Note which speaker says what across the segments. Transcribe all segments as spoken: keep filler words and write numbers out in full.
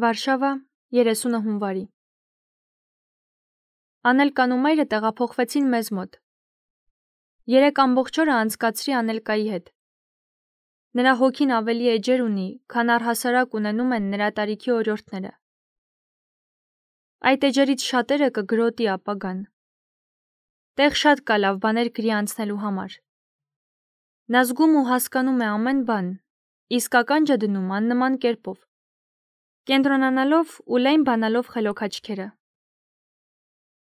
Speaker 1: Վարշավա, երեսունը հունվարի։ Անելկան ու մայրը տեղափոխվեցին մեզ մոտ։ Երեք ամբողջ օրը անցկացրի Անելկայի հետ։ Նրա հոգին ավելի էջեր ունի, քան առհասարակ ունենում են նրա տարիքի օրիորդները։ Այդ էջերից շատերը կգրոտի ապագան։ Տեղ շատ կա լավ բաներ գրի անցնելու համար։ Նա զգում ու հասկանում է ամեն բան, իսկ ականջը դնում աննման կերպով, կենտրոնանալով ու լայն բանալով խելոք աչքերը։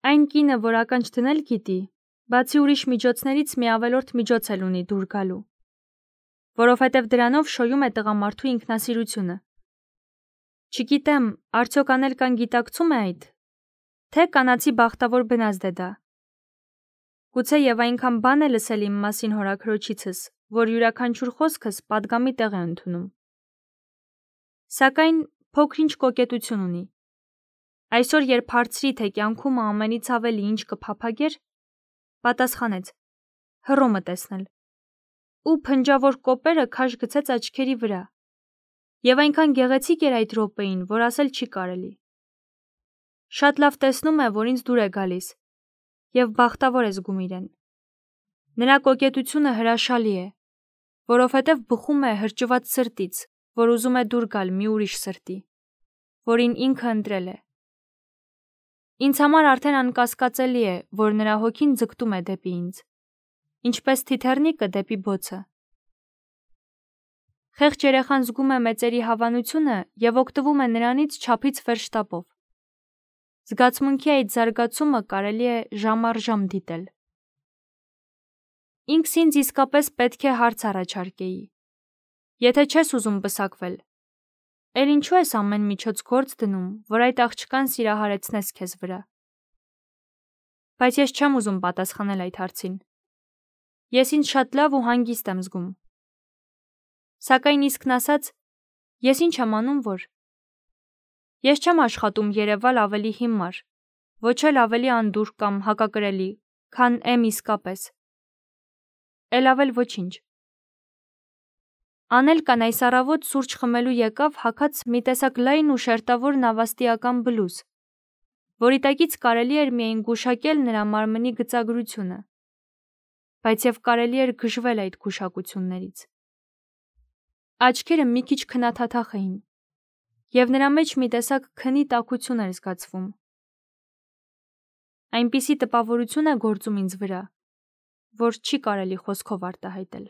Speaker 1: Այն կինը, որ ականջ դնել գիտի, բացի ուրիշ միջոցներից մի ավելորդ միջոց էլ ունի դուր գալու, որովհետև դրանով շոյում է տղամարդու ինքնասիրությունը։ Չգիտեմ, արդյոք Անելկան գիտակցում է այդ, թե կանացի բախտավոր բնազդ է դա։ Գուցե եւ այնքան բան է լսել իմ մասին հորաքրոջիցս, որ յուրաքանչյուր խոսքս պատգամի տեղ է ընդունում։ Սակայն փոքր-ինչ կոկետություն ունի։ Այսօր, երբ հարցրի, թե կյանքում ամենից ավելի ինչ կփափագեր, պատասխանեց. հռոմը տեսնել։ Ու փնջավոր կոպերը քաշ գցեց աչքերի վրա։ Եվ այնքան գեղեցիկ էր այդ րոպեին, որ ասել չի կարելի։ Շատ լավ տեսնում է, որ ինձ դուր է գալիս, եւ բախտավոր է զգում իրեն։ Նրա կոկետությունը հրաշալի է, որովհետև բխում է հրճված սրտից, որ ուզում է դուր գալ մի ուրիշ սրտի, որին ինքը ընտրել է։ Ինձ համար արդեն անկասկածելի է, որ նրա հոգին ձգտում է դեպի ինձ, ինչպես թիթեռնիկը դեպի բոցը։ Խեղճ երեխան զգում է մեծերի հավանությունը եւ օգտվում է նրանից չափից վեր շտապով։ Զգացմունքի այդ զարգացումը կարելի է ժամ առ ժամ դիտել։ Ինքս ինձ իսկապես պետք է հարց առաջարկեի. եթե չես ուզում պսակվել, էլ ինչու ես ամեն միջոց գործ դնում, որ այդ աղջկան սիրահարեցնես քեզ վրա։ Բայց ես չեմ ուզում պատասխանել այդ հարցին։ Ես ինձ շատ լավ ու հանգիստ եմ զգում։ Սակայն իսկն ասած, ես ինչ եմ անում, որ ես չեմ աշխատում երևալ ավելի հիմար, ոչ էլ ավելի անդուր կամ հակակրելի, քան եմ իսկապես։ Էլ ավել ոչինչ։ Անելկան այս առավոտ սուրճ խմելու եկավ հագած մի տեսակ լայն ու շերտավոր նավաստիական բլուզ, որի տակից կարելի էր միայն գուշակել նրա մարմնի գծագրությունը, բայց եւ կարելի էր գժվել այդ գուշակություններից։ Աչքերը մի քիչ քնաթաթախ էին, եւ նրա մեջ մի տեսակ քնի տաքություն էր զգացվում։ Այնպիսի տպավորություն է գործում ինձ վրա, որ չի կարելի խոսքով արտահայտել։